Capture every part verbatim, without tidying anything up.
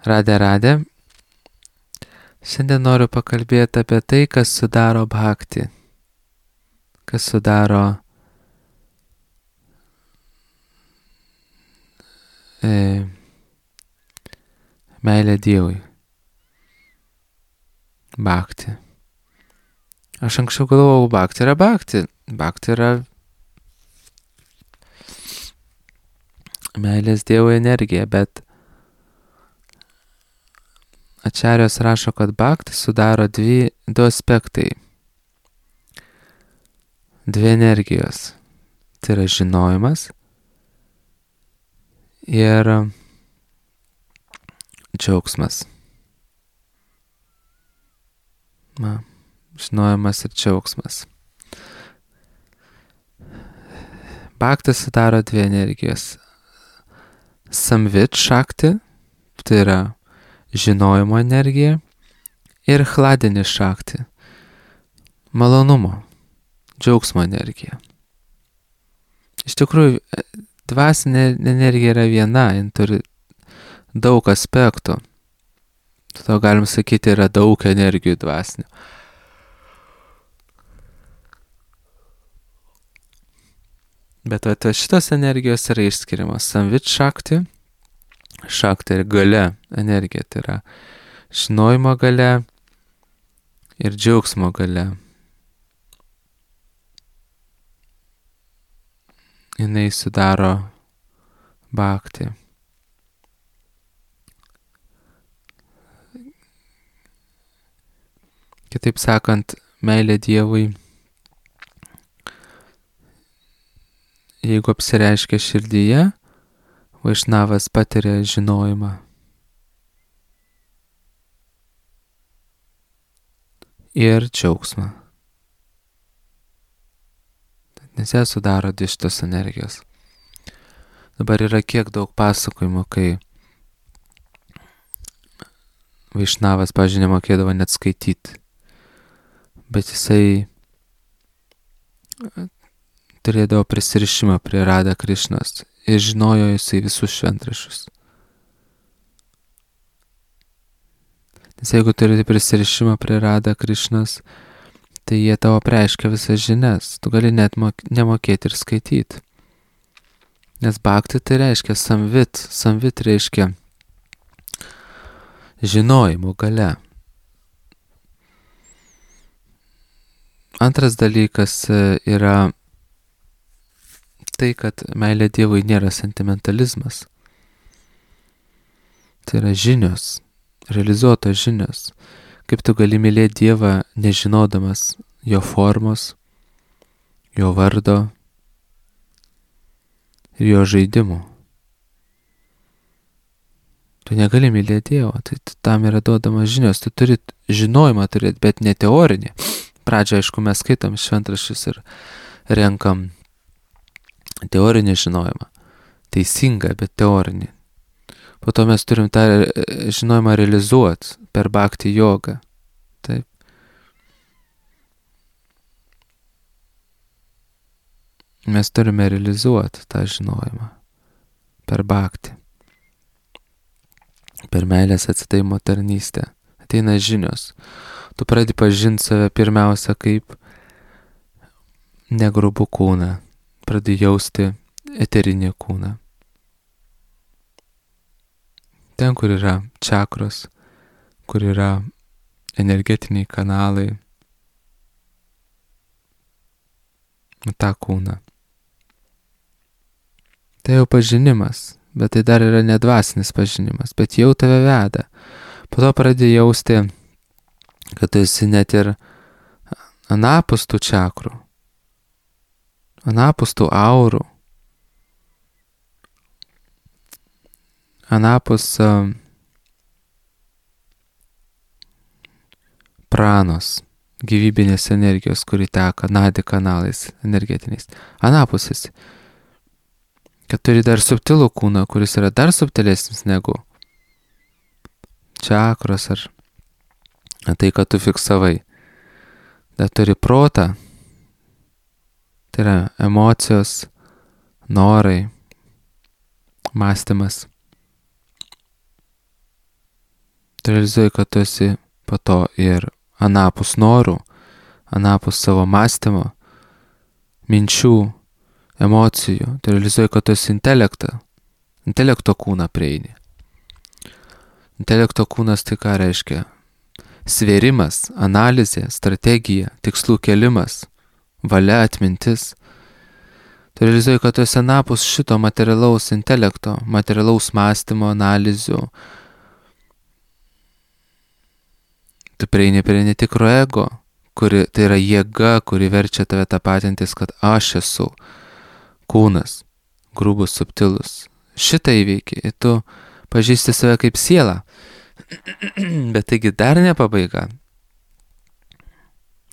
Radė, radė. Šiandien noriu pakalbėti apie tai, kas sudaro bhakti. Kas sudaro e, meilę Dievui. Bhakti. Aš anksčiau galvojau, bhakti yra bhakti. Bhakti yra meilės Dievui energija, bet Ačarijos rašo, kad bhakti sudaro dvi, du aspektai. Dvi energijos. Tai yra žinojimas ir džiaugsmas. Na, žinojimas ir džiaugsmas. Bhakti sudaro dvi energijos. Samvit šakti, tai yra žinojimo energija, ir hladini šakti, malonumo, džiaugsmo energija. Iš tikrųjų, dvasinė energija yra viena, jin turi daug aspektų. Todėl galim sakyti, yra daug energijų dvasinių. Bet va, šitos energijos yra išskiriamos. Samvit šakti, šakti ir galia energija, tai yra žinojimo galia ir džiaugsmo galia. Jinai sudaro bhakti. Kitaip sakant, meilė Dievui, jeigu apsireiškia širdyje, Vaišnavas patiria žinojimą. Ir džiaugsmą. Nes jie sudaro dvi šitos energijos. Dabar yra kiek daug pasakojimų, kai Vaišnavas, pavyzdžiui, nemokėdavo net skaityti. Bet jisai turėdavo prisirišimą prie Radha Krišnos ir žinojo jisai visus šventraščius. Nes jeigu turi prisirišimą prie Radha Krišnos, tai jie tavo preiškia visas žinias. Tu gali net mok- nemokėti ir skaityti. Nes bhakti tai reiškia samvit. Samvit reiškia žinojimo galia. Antras dalykas yra tai, kad meilė Dievui nėra sentimentalizmas. Tai yra žinios, realizuotos žinios. Kaip tu gali mylėti Dievą nežinodamas jo formos, jo vardo ir jo žaidimų. Tu negali mylėti Dievo, tai tam yra duodamas žinios. Tu turi žinojimą turėti, bet ne teorinį. Pradžioje, aišku, mes skaitom šventraščius ir renkam teorinį žinojimą. Teisingą, bet teorinį. Po to mes turim tą žinojimą realizuoti per bhakti jogą. Taip. Mes turime realizuoti tą žinojimą per bhakti. Per meilės atsidavimo tarnystę. Ateina žinios. Tu pradedi pažinti save pirmiausia kaip negrubų kūną. Pradedi jausti eterinį kūną. Ten, kur yra čakros, kur yra energetiniai kanalai. tą kūną. Tai jau pažinimas, bet tai dar yra nedvasinis pažinimas, bet jau tave veda. Po to pradedi jausti, kad tu esi net ir anapus tų čakrų, anapus tų aurų, anapus uh, pranos, gyvybinės energijos, kuri teka nadi kanalais energetiniais. Anapusis. Kad turi dar subtilų kūną, kuris yra dar subtilesnis negu čakros ar tai, kad tu fiksavai. Dar turi protą, tai yra emocijos, norai, mąstymas. Tu realizuoji, kad tu esi po to ir anapus norų, anapus savo mąstymo, minčių, emocijų. Tu realizuoji, kad tu esi intelektą, intelekto kūną prieini. Intelekto kūnas tai ką reiškia? Svėrimas, analizė, strategija, tikslų kelimas, valia, atmintis. Tu realizuoji, kad tu esi anapus šito materialaus intelekto, materialaus mąstymo, analizių. Tu prieini prie netikro ego, kuri, tai yra jėga, kuri verčia tave tapatintis, kad aš esu kūnas, grubus, subtilus. Šitą įveiki ir tu pažįsti save kaip sielą. Bet taigi dar ne pabaiga.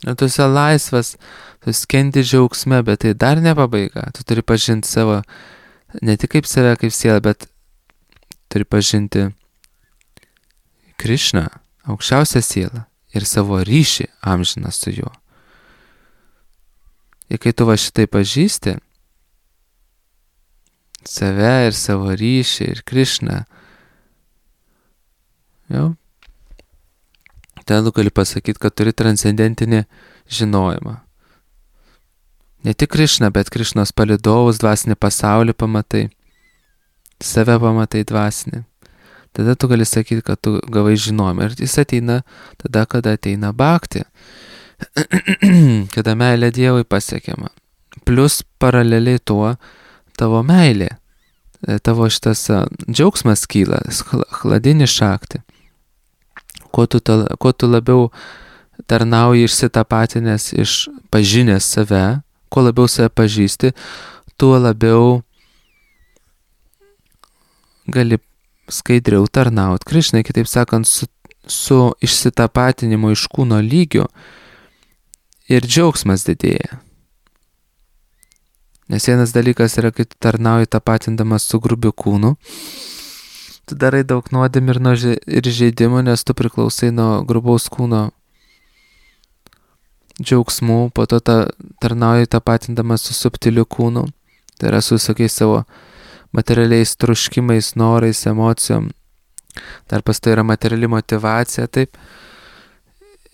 Ir tu esi laisvas, tu skendi džiaugsme, bet tai dar ne pabaiga. Tu turi pažinti savo, ne tik kaip save, kaip sielą, bet turi pažinti Krišną, aukščiausią sielą ir savo ryšį amžiną su juo. Ir kai tu va šitai pažįsti, save ir savo ryšį ir Krišną, jau, tada gali pasakyti, kad turi transcendentinį žinojimą. Ne tik Krišną, bet Krišnos palydovus, dvasinį pasaulį pamatai, save pamatai dvasinį. Tada tu gali sakyti, kad tu gavai žinojimą. Ir jis ateina tada, kada ateina bhakti, kada meilė Dievui pasiekiama. Plus paraleliai tuo tavo meilė, tavo šitas džiaugsmas kyla, chladini šakti. Kuo tu, ta, kuo tu labiau tarnauji išsitapatinęs, išpažinęs save, kuo labiau save pažįsti, tuo labiau gali skaidriau tarnaut Krišnai, kitaip sakant, su, su išsitapatinimu iš kūno lygio ir džiaugsmas didėja. Nes vienas dalykas yra, kai tu tarnauji tapatindamas su grubiu kūnu, tu darai daug nuodėmių ir, nuo, ir žaidimų, nes tu priklausai nuo grubaus kūno džiaugsmų, po to ta, tarnauji tapatindamas su subtiliu kūnu, tai yra su visokiais savo materialiais troškimais, norais, emocijom. Dar pas tai yra materiali motivacija, taip.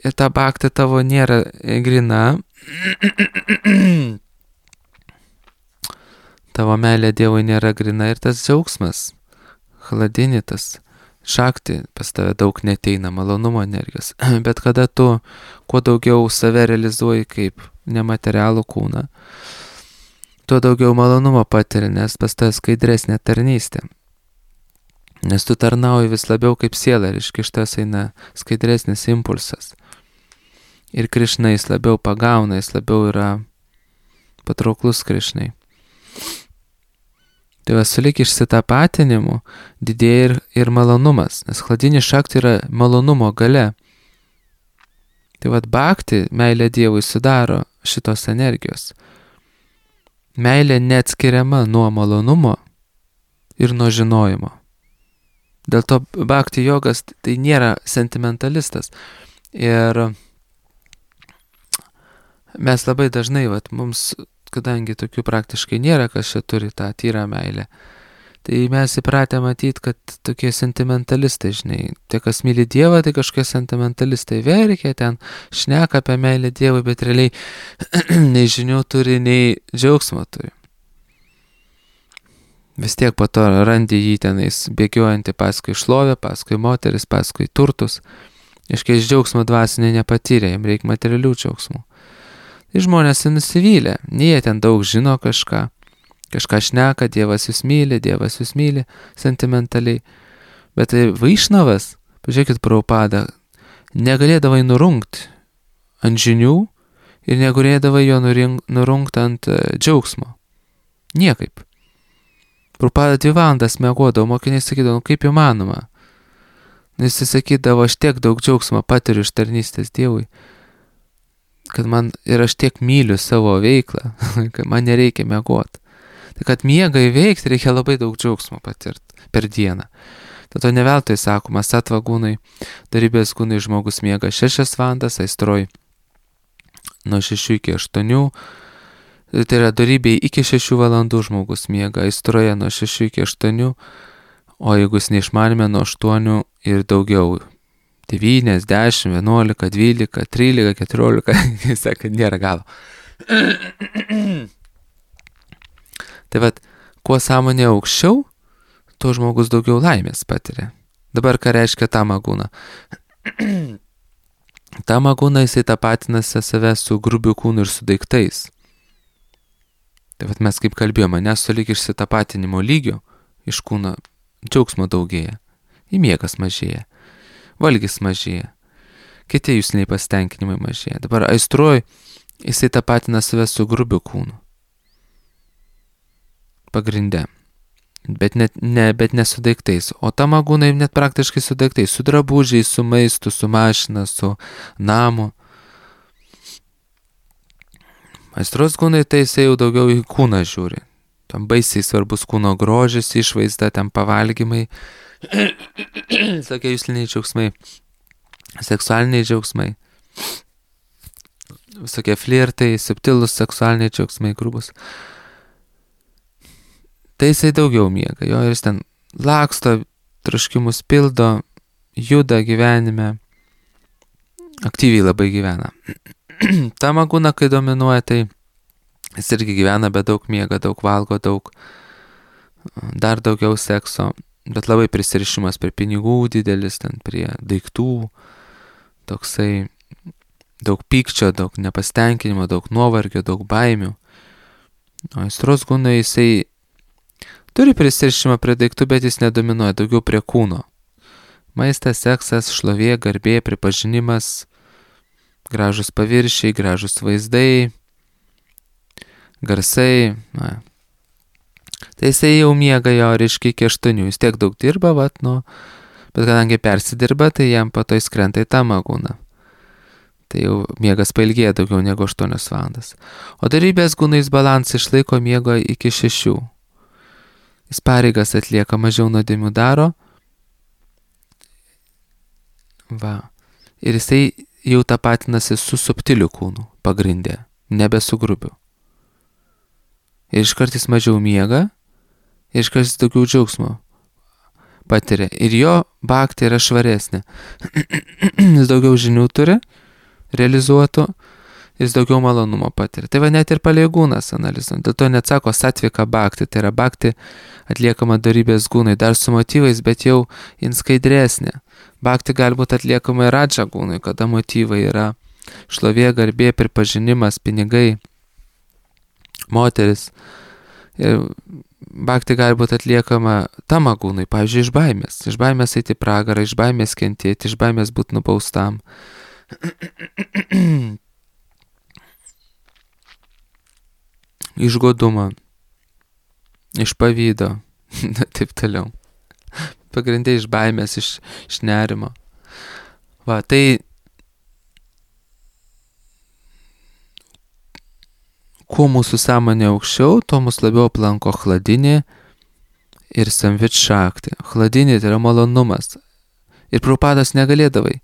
Ir ta bhakti tavo nėra grina. Tavo meilė Dievui nėra grina ir tas džiaugsmas, chladinitas, šakti pas tave daug neteina, malonumo energijos. Bet kada tu kuo daugiau save realizuoji kaip nematerialų kūną, tuo daugiau malonumo patiri, nes pas tave skaidresnė tarnystė. Nes tu tarnauji vis labiau kaip siela ir iš kištas eina skaidresnis impulsas. Ir Krišna jis labiau pagauna, jis labiau yra patrauklus Krišnai. Tai va, sulik išsitapatinimu didėja ir, ir malonumas, nes chladini šakti yra malonumo gale. Tai va, bhakti, meilė Dievui sudaro šitos energijos. Meilė neatskiriama nuo malonumo ir nuo žinojimo. Dėl to bhakti jogas tai nėra sentimentalistas. Ir mes labai dažnai, vat, mums, kadangi tokių praktiškai nėra, kas čia turi tą tyrą meilę, tai mes įpratę matyti, kad tokie sentimentalistai, žinai, tie, kas myli Dievą, tai kažkokie sentimentalistai verkia, ten šneka apie meilę Dievui, bet realiai nei žinių turi, nei džiaugsmo turi. Vis tiek po to randi jį tenais bėgiojantį paskui šlovę, paskui moteris, paskui turtus. Iškai iš džiaugsmo dvasinė nepatyrė, jam reikia materialių džiaugsmų. Tai žmonės nusivylė, nei jie ten daug žino kažką. Kažką šneka, Dievas jūs myli, Dievas jūs myli, sentimentaliai. Bet tai Vaišnavas, pažiūrėkit Prabhupada, negalėdavai nurungti ant žinių ir negalėdavai jo nurungti ant džiaugsmo. Niekaip. Prabhupada dvi valandas miegodavo, mokiniai sakydavo, nu kaip įmanoma. Jis sakydavo, aš tiek daug džiaugsmo patiriu iš tarnystės Dievui, kad man ir aš tiek myliu savo veiklą, kad man nereikia miegoti. Tai kad miegą įveikti reikia labai daug džiaugsmo patirti per dieną. Tato ne veltui sakoma, satva gūnai, darybės gūnai žmogus miega šešias valandas, aistroj nuo šešių iki aštuonių, tai yra darybėj iki šešių valandų žmogus miega, aistroje nuo šešių iki aštuonių, o jeigu jis neišmanime nuo aštuonių ir daugiau devyni, dešimt, vienuolika, dvylika, trylika, keturiolika, jis sako, nėra galo. Tai vat, kuo sąmonė aukščiau, tuo žmogus daugiau laimės patiria. Dabar ką reiškia tamaguna? Tamaguna jisai tapatinasi save su grubiu kūnu ir su daiktais. Tai vat mes kaip kalbėjome, nes sulyg išsitapatinimo lygio iš kūno džiaugsmo daugėja, įmiegas mažėja, valgis mažėja, kiti jūsiniai pasitenkinimai mažėja. Dabar aistruoj jisai tapatina save su grubiu kūnu. Pagrinde. Bet, net, ne, bet ne su daiktais. O tamagūnai net praktiškai su daiktais. Su drabužiais, su maistu, su mašina, su namu. Aistros kūnai tai jisai jau daugiau į kūną žiūri. Tam baisiai svarbus kūno grožis, išvaizda, ten pavalgymai. Tokie jūsliniai džiaugsmai. Seksualiniai džiaugsmai. Visokie flirtai, subtilus seksualiniai džiaugsmai, grubus. Tai jisai daugiau miega, jo, ir jis ten laksto, troškimus pildo, juda gyvenime, aktyviai labai gyvena. Tamaguna, kai dominuoja, tai jis irgi gyvena, bet daug miega, daug valgo, daug, dar daugiau sekso, bet labai prisirišimas prie pinigų didelis, ten prie daiktų, toksai daug pykčio, daug nepasitenkinimo, daug nuovargio, daug baimių. O aistros kūnai jisai turi prisirišimą prie daiktų, bet jis nedominuoja, daugiau prie kūno. Maistas, seksas, šlovė, garbė, pripažinimas, gražus paviršiai, gražus vaizdai, garsai. Na. Tai jisai jau miega jo, reiškia, iki aštuonių. Jis tiek daug dirba, vat, nu, bet kadangi persidirba, tai jam po to įskrenta į tamagūną. Tai jau miegas pailgėja daugiau negu aštuonias valandas. O darybės gūnais balansą išlaiko miego iki šešių. Jis pareigas atlieka, mažiau nuodėmių daro. Va. Ir jisai jau tapatinasi su subtiliu kūnu pagrindė, nebe su grubiu. Ir iškart jis mažiau miega, ir iškart jis daugiau džiaugsmo patiria. Ir jo bhakti yra švaresnė. Jis daugiau žinių turi, realizuotų, jis daugiau malonumo patiria. Tai va net ir paleigūnas analizuojant. Dėl to net sako satvika bhakti, tai yra bhakti atliekama darybės gūnai, dar su motyvais, bet jau jin skaidresnė. Bhakti gali būti atliekama ir radža gūnai, kada motyvai yra šlovė, garbė, pripažinimas, pinigai, moteris. Ir bhakti gali būti atliekama tamagūnai, pavyzdžiui, iš baimės. Iš baimės eiti pragarą, iš baimės kentėti, iš baimės būti nubaustam. Iš godumo, iš pavydo, taip toliau. Pagrindė iš baimės, iš, iš nerimo. Va, tai kuo mūsų sąmonė aukščiau, to mus labiau aplanko chladinė ir samvit šakti. Chladinė tai yra malonumas. Ir Prabhupadas negalėdavai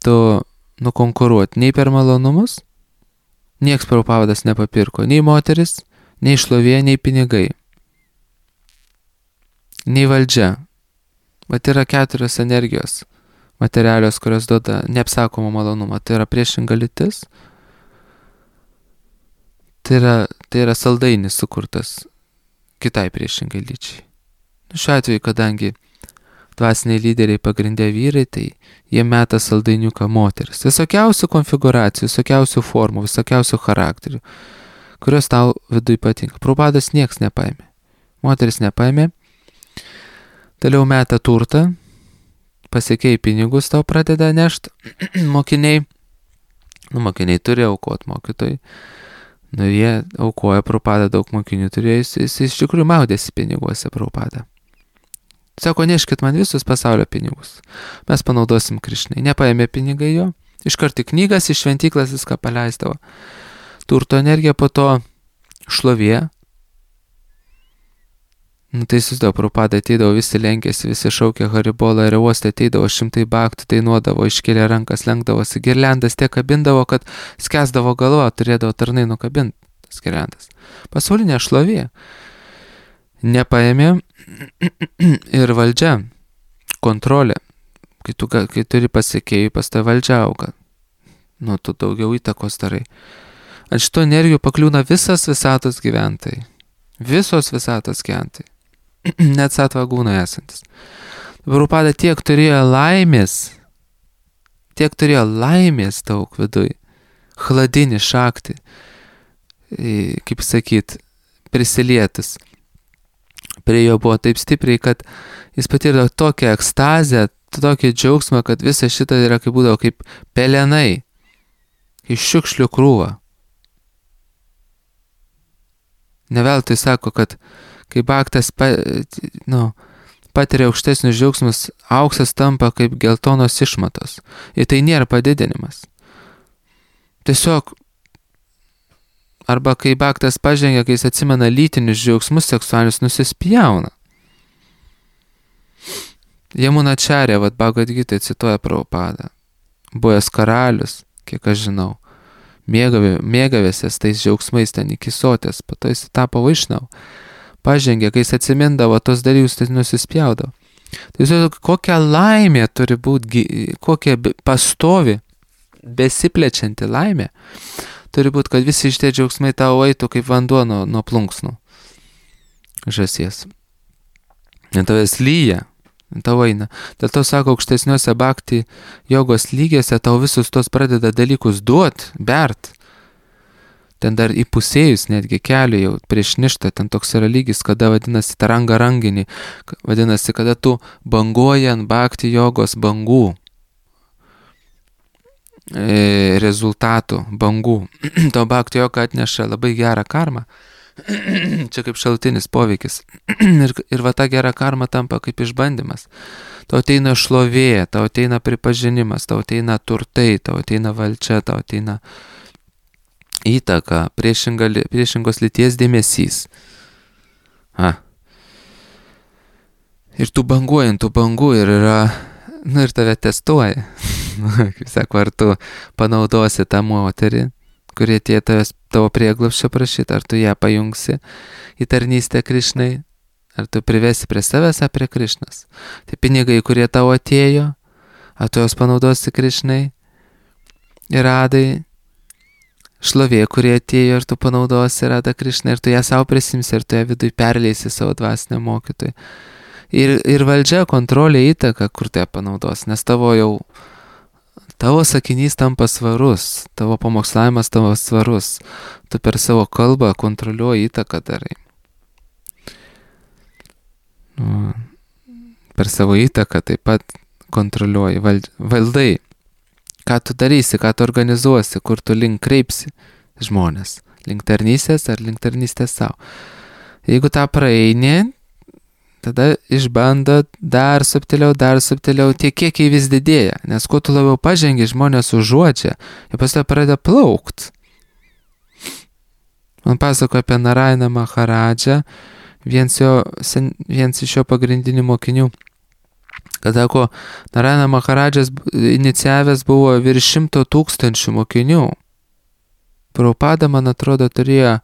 to nukonkuruoti nei per malonumus, nieks Prabhupadas nepapirko, nei moteris, nei šlovė, nei pinigai, nei valdžia. Vat yra keturios energijos materialios, kurios duoda neapsakomą malonumą. Tai yra priešinga lytis, tai yra, tai yra saldainis sukurtas kitai priešingai lyčiai. Šiuo atveju, kadangi dvasiniai lyderiai pagrindė vyrai, tai jie meta saldainiuką moteris. Visokiausių konfiguracijų, visokiausių formų, visokiausių charakterių, kurios tau viduj patinka. Prabhupadas nieks nepaėmė. Moteris nepaėmė. Toliau meta turtą. Pasiekiai pinigus tau pradeda nešti. Mokiniai. Nu, mokiniai turi aukot mokytojai. Nu, jie aukoja, Prabhupada daug mokinių turėjo. Jis, jis iš tikrųjų maudėsi piniguose, Prabhupada. Sako, neškit man visus pasaulio pinigus. Mes panaudosim Krišnai. Nepaėmė pinigai jo. Iškart į knygas, iš šventyklas viską paleisdavo. Turto energija, po to šlovė. Nu, tai susidavo, Prabhupada ateidavo, visi lenkėsi, visi šaukė Haribolą ir uostė, ateidavo šimtai bhaktų, dainuodavo, iškėlė rankas, lenkdavosi, girliandas tiek kabindavo, kad skęsdavo galva, turėdavo tarnai nukabinti tas girliandas. Pasaulinė šlovė. Nepaėmė ir valdžia, kontrolė. Kai tu, kai turi pasiekėjų, pas tai valdžia auga. Nu, tu daugiau įtakos darai. Ant šito energijų pakliūna visas visatos gyventojai. Visos visatos gyventojai. Net satvagūnai esantis. Prabhupada tiek turėjo laimės, tiek turėjo laimės daug viduj. Chladinį šaktį, kaip sakyt, prisilietis. Prie jo buvo taip stipriai, kad jis patyrė tokią ekstazę, tokį džiaugsmą, kad visa šita yra kaip būdavo kaip pelenai, kaip šiukšlių krūva. Neveltui sako, kad kai baktas pa, nu, patiria aukštesnius džiaugsmus, auksas tampa kaip geltonos išmatos. Ir tai nėra padidinimas. Tiesiog, arba kai baktas pažengia, kai jis atsimena lytinius džiaugsmus seksualinius, nusispjauna. Jamunacharya, vat Bhagavad Gita cituoja Prabhupadą. Buvęs karalius, kiek aš žinau, mėgavė, mėgavėsės tais džiaugsmais ten iki sotės, po to jis tapo vaišnau. Pažengė, kai jis atsimindavo tos dalykus, tai nusispjaudavo. Tai jūs, kokia laimė turi būti, kokia pastovi, besiplečianti laimė, turi būti, kad visi šitie džiaugsmai tau eitų kaip vanduo nuo, nuo plunksnų žąsies. Ir tavęs lyja, tau eina. Dėl to sako, aukštesniuose bhakti jogos lygiuose tau visus tos pradeda dalykus duot, bert. Ten dar įpusėjus netgi keliu jau prieš ništą, ten toks yra lygis, kada vadinasi taranga ranginį, vadinasi, kada tu banguoji ant bhakti jogos bangų, e, rezultatų bangų. To bhakti joga atneša labai gerą karmą. Čia kaip šalutinis poveikis. ir, ir va ta gera karma tampa kaip išbandymas. Tau ateina šlovė, tau ateina pripažinimas, tau ateina turtai, tau ateina valdžia, tau ateina įtaka, priešinga, priešingos lyties dėmesys. Ha. Ir tu banguojant, tu bangu ir yra, nu ir tave testuoja. Kaip sako, ar tu panaudosi tą moterį, kurie tie tavęs, tavo prieglobsčio prašyti, ar tu ją pajungsi į tarnystę Krišnai, ar tu privesi prie savęs, ar prie Krišnos. Tai pinigai, kurie tavo atėjo, ar tu jos panaudosi Krišnai, ir radai, šlovė, kurie atėjo, ir tu panaudosi Radą Krišną, ir tu ją savo prisimsi, ir tu ją viduj perleisi savo dvasiniam mokytojui. Ir, ir valdžia, kontrolė, įtaka, kur tu ją panaudosi, nes tavo jau tavo sakinys tampa svarus, tavo pamokslavimas tavo svarus, tu per savo kalbą kontroliuoji, įtaką darai. Nu, per savo įtaką taip pat kontroliuoji, vald, valdai, ką tu darysi, ką tu organizuosi, kur tu link kreipsi žmonės, link tarnystės ar link tarnystės savo. Jeigu tą praeini, tada išbando dar subtiliau, dar subtiliau, tie kiekiai vis didėja, nes kuo tu labiau pažengi, žmonės užuodžia, ir pas to pradeda plaukt. Man pasako apie Narainą Maharadžą, viens, jo, sen, viens iš jo pagrindinių mokinių, kad sako, Narainą Maharadžas inicijavęs buvo virš šimto tūkstančių mokinių. Prabhupada, man atrodo, turėjo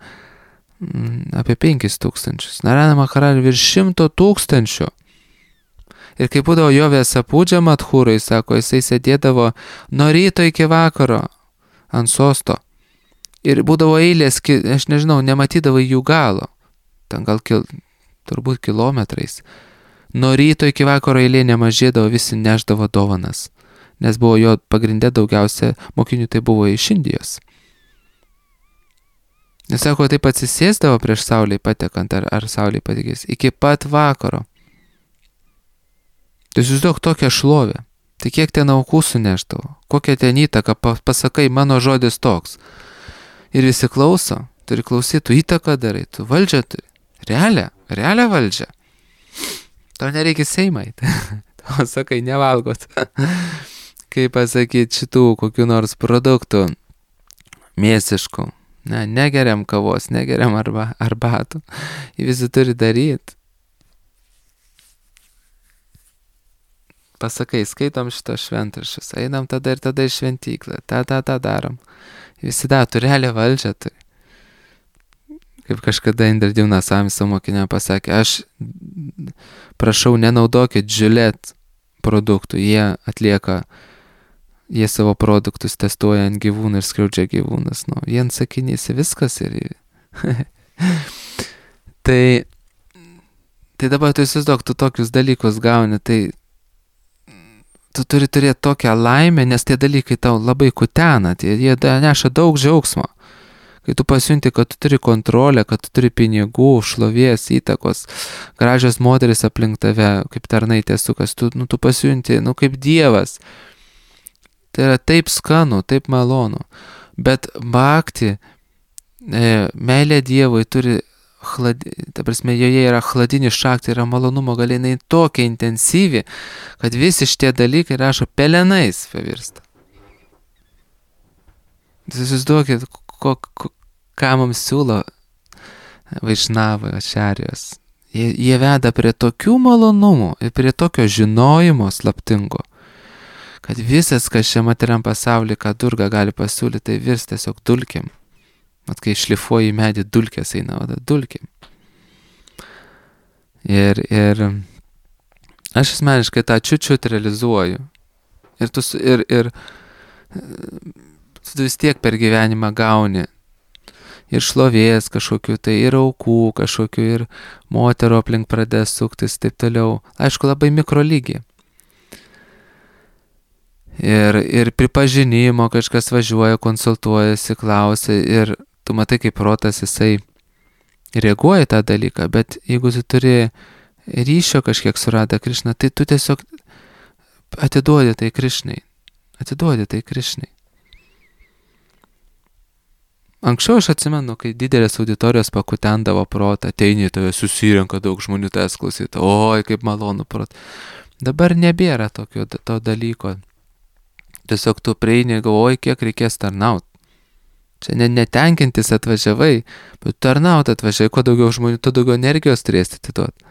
apie penkis tūkstančius. Narainą Maharadžą virš šimto tūkstančių. Ir kai būdavo jo Vesapūdžia Madhūrai, sako, jisai sėdėdavo nuo ryto iki vakaro ant sosto. Ir būdavo eilės, aš nežinau, nematydavo jų galo. Ten gal kil, turbūt kilometrais. Nuo ryto iki vakaro eilė nemažėdavo, visi neždavo dovanas. Nes buvo jo pagrindė daugiausia mokinių, tai buvo iš Indijos. Nes sako, taip atsisėsdavo prieš saulei patekant, ar, ar saulei patekės, iki pat vakaro. Tai susiduok tokią šlovę. Tai kiek ten aukų suneždavo, kokią ten įtaką, pasakai, mano žodis toks. Ir visi klauso, turi klausyti, tu įtaką darai, tu valdžią turi. Realią, realią valdžią. Tau nereikia Seimai. Tau sakai, nevalgot. Kaip pasakyti šitų kokių nors produktų mėsiškų. Ne, negeriam kavos, negeriam arba, arbatų. Jį visi turi daryti. Pasakai, skaitom šitos šventraščius, einam tada ir tada į šventyklą, tą, tą, tą darom. Visi da, tu realią valdžią turi. Kaip kažkada Indradivna Sami savo mokiniam pasakė, aš prašau, nenaudokit Gillette produktų, jie atlieka, jie savo produktus testuoja ant gyvūnų ir skriaudžia gyvūnas. Nu, vien sakinys viskas ir... tai, tai dabar tu įsivaizduok, tu tokius dalykus gauni, tai tu turi turėti tokią laimę, nes tie dalykai tau labai kutena, tie, jie neša daug džiaugsmo. Kai tu pasiunti, kad tu turi kontrolę, kad tu turi pinigų, šlovės, įtakos, gražios moteris aplink tave, kaip tarnaitės sukas, tu, nu, tu pasiunti, nu, kaip Dievas. Tai yra taip skanu, taip malonu. Bet bhakti, e, meilė Dievui turi, chlad, ta prasme, joje yra chladinis šakti, yra malonumo galinai tokia intensyvi, kad visi šitie dalykai rašo pelenais pavirsta. Įsivaizduokit, ko, ko, ką mums siūlo Vaišnavai, ačarijos. Jie, jie veda prie tokių malonumų ir prie tokio žinojimo slaptingo, kad visas, kas šiame materiam pasaulyje, ką Durga gali pasiūlyti, tai virs tiesiog dulkėm. Mat, kai šlifuoji medį, dulkės eina, o dulkėm. Ir, ir aš asmeniškai tą čiut-čiut realizuoju. Ir tu, ir, ir tu vis tiek per gyvenimą gauni ir šlovės kažkokiu, tai ir aukų kažkokiu, ir moterų aplink pradės suktis, taip toliau. Aišku, labai mikrolygiai. Ir, ir pripažinimo kažkas važiuoja, konsultuojasi, klausia ir tu matai, kaip protas jisai reaguoja tą dalyką, bet jeigu tu turi ryšio kažkiek su Radha Krišna, tai tu tiesiog atiduodi tai Krišnai. Atiduodi tai Krišnai. Anksčiau aš atsimenu, kai didelės auditorijos pakutendavo protą, ateini, tave susirenka daug žmonių, tavęs klausyti, oi, kaip malonu prot. Dabar nebėra tokio to dalyko. Tiesiog tu prieini, galvoji, kiek reikės tarnaut. Čia ne, netenkintis atvažiavai, bet tarnaut atvažiavai, kuo daugiau žmonių, tuo daugiau energijos turėsi atiduoti.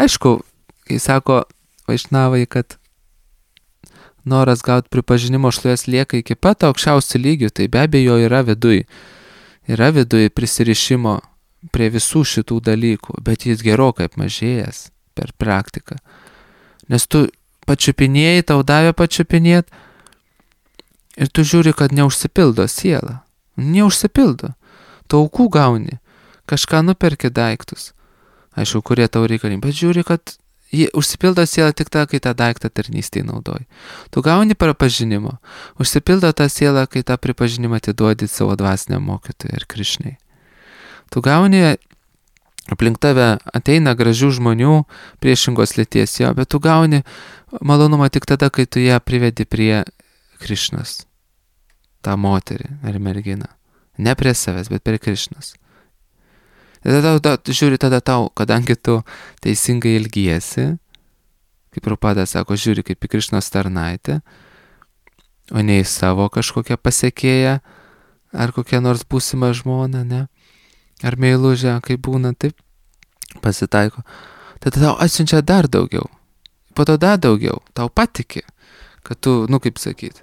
Aišku, kai sako Vaišnavai, kad noras gauti pripažinimo šlovės lieka iki pat aukščiausių lygių, tai be abejo yra viduj. Yra viduj prisirišimo prie visų šitų dalykų, bet jis gerokai apmažėjęs per praktiką. Nes tu pačiupinėjai, tau davė pačiupinėt ir tu žiūri, kad neužsipildo siela. Neužsipildo. Tu aukų gauni, kažką nuperki daiktus. Aišku, kurie tau reikalingi, bet žiūri, kad jie užsipildo sielą tik tą, kai tą daiktą tarnystėj naudoji. Tu gauni pripažinimo, užsipildo tą sielą, kai tą pripažinimą atiduodi savo dvasiniam mokytojui ir Krišnai. Tu gauni, aplink tave ateina gražių žmonių priešingos lyties jo, bet tu gauni malonumą tik tada, kai tu ją privedi prie Krišnos, tą moterį ar merginą. Ne prie savęs, bet prie Krišnos. Ir tada tau, tu žiūri tada tau, kadangi tu teisingai ilgiesi, kaip Prabhupada sako, žiūri kaip į Krišnos tarnaitę, o ne į savo kažkokią pasekėją, ar kokią nors būsimą žmoną, ne? Ar meilužę, kaip būna, taip pasitaiko. Tada tau atsiunčia dar daugiau. Po to dar daugiau. Tau patiki, kad tu, nu kaip sakyti,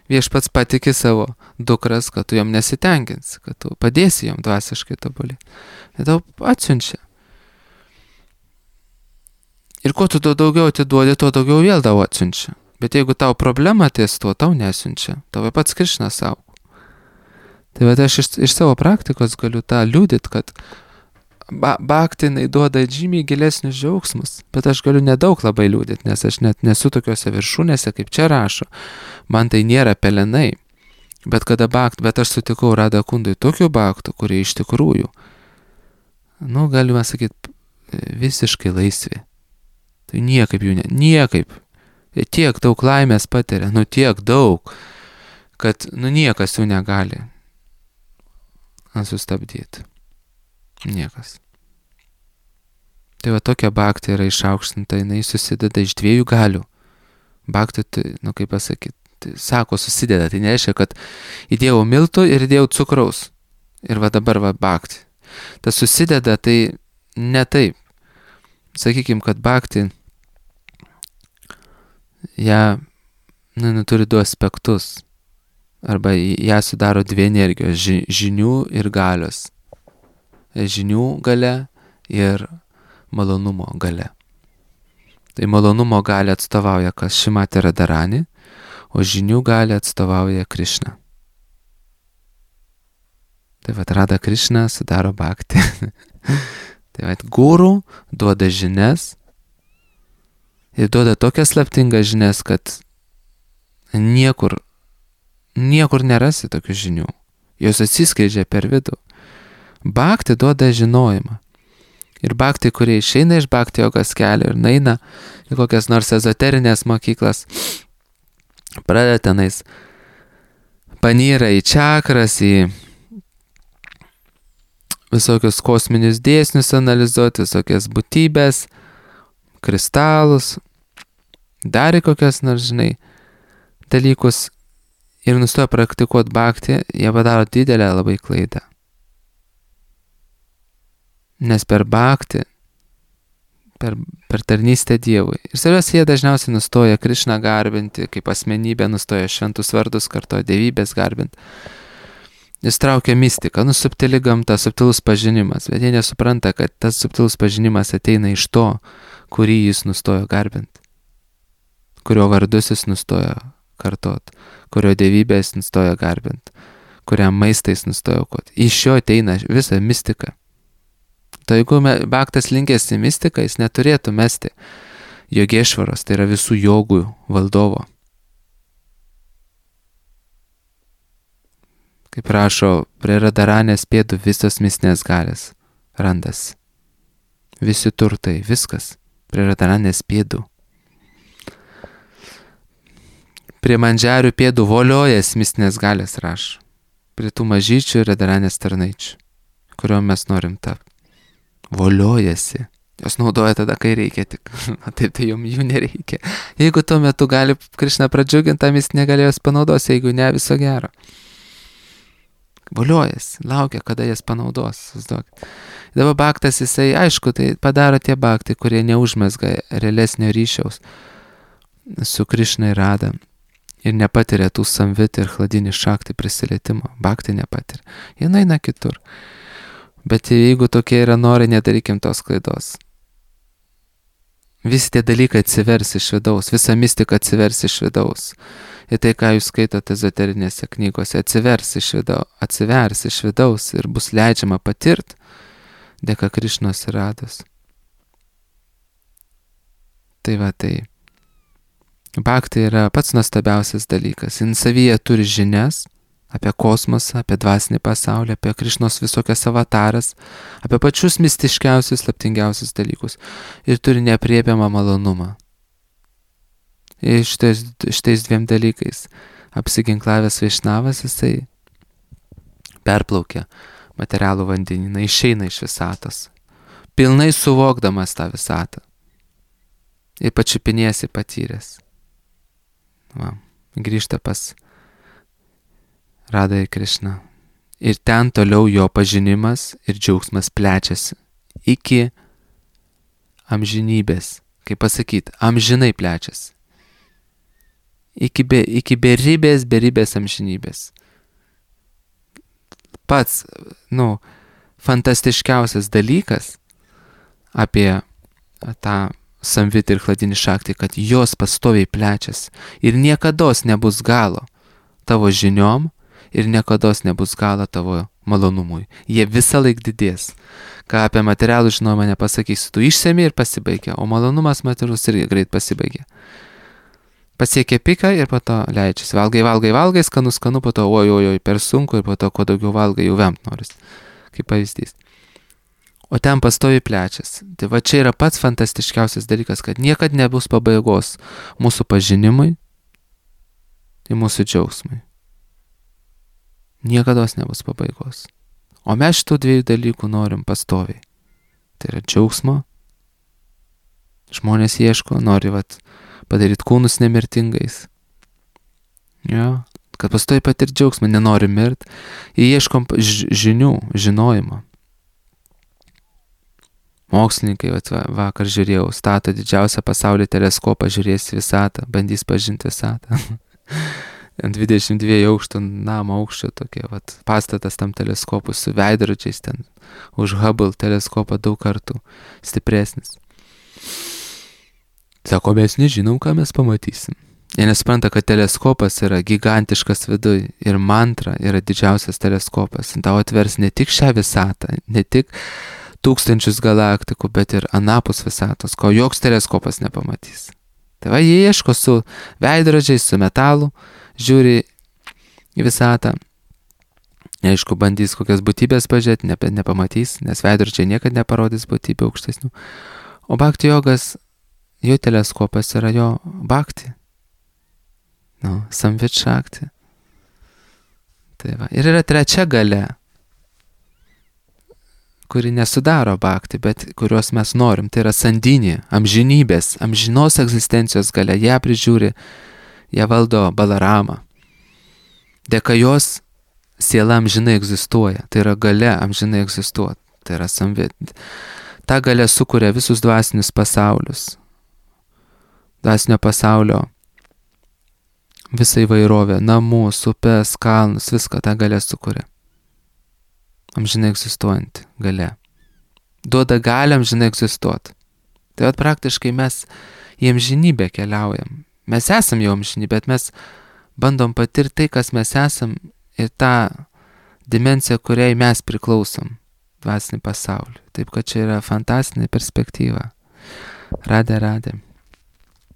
viešpats patiki savo dukras, kad tu jom nesitenkinsi, kad tu padėsi jom dvasiškai tobulėti. Ir tau atsiunčia. Ir kuo tu daugiau atiduodi, tuo daugiau vėl tau atsiunčia. Bet jeigu tau problema ties tuo, tau nesiunčia. Tau pats Krišna saugo. Tai bet aš iš, iš savo praktikos galiu tą liūdit, kad ba, bhaktinai duoda žymiai gilesnius džiaugsmus, bet aš galiu nedaug labai liūdit, nes aš net nesu tokiuose viršūnėse, kaip čia rašo. Man tai nėra pelenai. Bet kada bhakt, bet aš sutikau Radha Kundui tokių bhaktų, kurie iš tikrųjų, nu, galima sakyti, visiškai laisvi. Tai niekaip jų ne, niekaip. Jie tiek daug laimės patiria, nu tiek daug, kad, nu, niekas jų negali sustabdyti. Niekas. Tai va tokia bhakti yra išaukštinta, jinai susideda iš dviejų galių. Bhakti, tai, nu kaip pasakyti, tai, sako susideda, tai nereiškia, kad įdėjau miltų ir įdėjau cukraus. Ir va dabar va bhakti. Tas susideda, tai ne taip. Sakykim, kad bhakti, ją, nu, nu, turi du aspektus. Arba ją sudaro dvi energijos, ži, žinių ir galios. Žinių galia ir malonumo galia. Tai malonumo gali atstovauja kas Šrimati Radharani, o žinių gali atstovauja Krišna. Tai vat Radha Krišna sudaro bhakti. Tai vat guru duoda žinias ir duoda tokias slaptingas žinias, kad niekur, niekur nerasi tokių žinių. Jos atsiskleidžia per vidų. Bhakti duoda žinojimą. Ir bhakti, kurie išeina iš bhakti jogos kelio ir naina į kokias nors ezoterinės mokyklas, pradeda tenais panyra į čakras, į visokius kosminius dėsnius analizuoti, visokias būtybės, kristalus, dar į kokias nors, žinai, dalykus ir nustoja praktikuoti bhakti, jie padaro didelę labai klaidą. Nes per bhakti, per, per tarnystę Dievui. Ir svarbiausia, jie dažniausiai nustoja Krišną garbinti, kaip asmenybė nustoja šventus vardus kartoja, dievybės garbinti. Jis traukia mistiką, nu subtili gamta, subtilus pažinimas, bet jie nesupranta, kad tas subtilus pažinimas ateina iš to, kurį jis nustojo garbinti, kurio vardus jis nustojo kartot, kurio dievybės nustojo garbinti, kuriam maistais nustojo aukoti. Iš jo ateina visa mistika. Tai jeigu bhaktas linkęs į mistiką, jis neturėtų mesti jogėšvaros, tai yra visų jogų valdovo. Kaip rašo, prie Radharanės pėdų visos mistinės galės randasi. Visi turtai, viskas prie Radharanės pėdų. Prie Mandžiarių pėdų voliojas mistinės galės rašo. Prie tų mažyčių Radharanės tarnaičių, kuriuo mes norim tapti. Voliojasi. Jos naudoja tada, kai reikia tik. Taip, tai jom jų nereikia. Jeigu tuo metu gali Krišną pradžiuginti, tą mistinę gali jos panaudos, jeigu ne, viso gero. Voliojasi, laukia, kada jas panaudos. Dabar bhaktas jisai, aišku, tai padaro tie bhaktai, kurie neužmesga realesnio ryšiaus su Krišna ir Radha ir nepatiria tų samvit ir chladinį šakti prisilietimo. Bhaktai nepatiria. Jie eina kitur. Bet jeigu tokie yra norai, nedarykim tos klaidos. Visi tie dalykai atsivers iš vidaus, visa mistika atsivers iš vidaus. Ir tai, ką jūs skaitote ezoterinėse knygose, atsivers iš vidaus, atsivers iš vidaus ir bus leidžiama patirti dėka Krišnos ir Radhos. Tai va, tai bhakti yra pats nuostabiausias dalykas. Jis savyje turi žinias apie kosmosą, apie dvasinį pasaulį, apie Krišnos visokias avataras, apie pačius mistiškiausius, slaptingiausius dalykus. Ir turi neaprėpiamą malonumą. Ir šitais, šitais dviem dalykais apsiginklavęs Vaišnavas, jisai perplaukia materialų vandenyną, išeina iš visatos, pilnai suvokdamas tą visatą. Ir pačiupinėsi patyręs. Va, grįžta pas Radha ir Krišna. Ir ten toliau jo pažinimas ir džiaugsmas plečiasi iki amžinybės. Kaip pasakyti, amžinai plečiasi. Iki, be, iki beribės, beribės amžinybės. Pats, nu, fantastiškiausias dalykas apie tą samvit ir chladinį šaktį, kad jos pastoviai plečiasi ir niekados nebus galo tavo žiniom ir niekados nebus galo tavo malonumui. Jie visą laik didės. Ką apie materialų žinojimą nepasakysiu, tu išsemi ir pasibaigia, o malonumas materialus irgi greit pasibaigia. Pasiekia piką ir po to leidžiasi. Valgai, valgai, valgai, skanu, skanu, po to oj, oj, oj, per sunku ir po to, kuo daugiau valgai, jau vemt noris. Kaip pavyzdys. O ten pastoviai plečiasi. Tai va čia yra pats fantastiškiausias dalykas, kad niekad nebus pabaigos mūsų pažinimui ir mūsų džiaugsmui. Niekados nebus pabaigos. O mes šitų dviejų dalykų norim pastoviai. Tai yra džiaugsmo. Žmonės ieško, nori vat, padaryti kūnus nemirtingais. Jo, kad pastoviai patirti džiaugsmą, nenori mirt. Ir ieškom žinių, žinojimo. Mokslininkai, vat, vakar žiūrėjau, stato didžiausią pasaulio teleskopą, žiūrės visatą, bandys pažinti visatą. Ant dvidešimt dviejų aukštų namo aukščio tokie, vat, pastatas tam teleskopui su veidrodžiais ten, už Hubble teleskopą daug kartų stipresnis. Sako, mes nežinom, ką mes pamatysim. Jie nesupranta, kad teleskopas yra gigantiškas viduj ir mantra yra didžiausias teleskopas. Tau atvers ne tik šią visatą, ne tik tūkstančius galaktikų, bet ir anapus visatos, ko joks teleskopas nepamatys. Tai va, jie ieško su veidrodžiais, su metalu, žiūri į visatą. Aišku, bandys kokias būtybės pažiūrėti, ne, nepamatys, nes veidrodžiai niekad neparodys būtybių aukštesnių. O bhakti jogas, jo teleskopas yra jo bhakti. Nu, samvit šakti. Tai va. Ir yra trečia galia, kuri nesudaro bhakti, bet kurios mes norim. Tai yra sandinė, amžinybės, amžinos egzistencijos galia. Ją prižiūri, ją valdo Balarama. Dėka jos siela amžinai egzistuoja. Tai yra galia amžinai egzistuoti. Tai yra samvit. Ta galia sukuria visus dvasinius pasaulius. Dvasinio pasaulio visą įvairovę, namus, upes, kalnus, viską tą galia sukuria. Amžinai egzistuojanti galia. Duoda galią amžinai egzistuoti. Tai vat praktiškai mes į amžinybę keliaujam. Mes esam jau amžinybė, bet mes bandom patirti tai, kas mes esam ir tą dimensiją, kuriai mes priklausom, dvasinį pasaulį. Taip, kad čia yra fantastinė perspektyva. Radė, radė.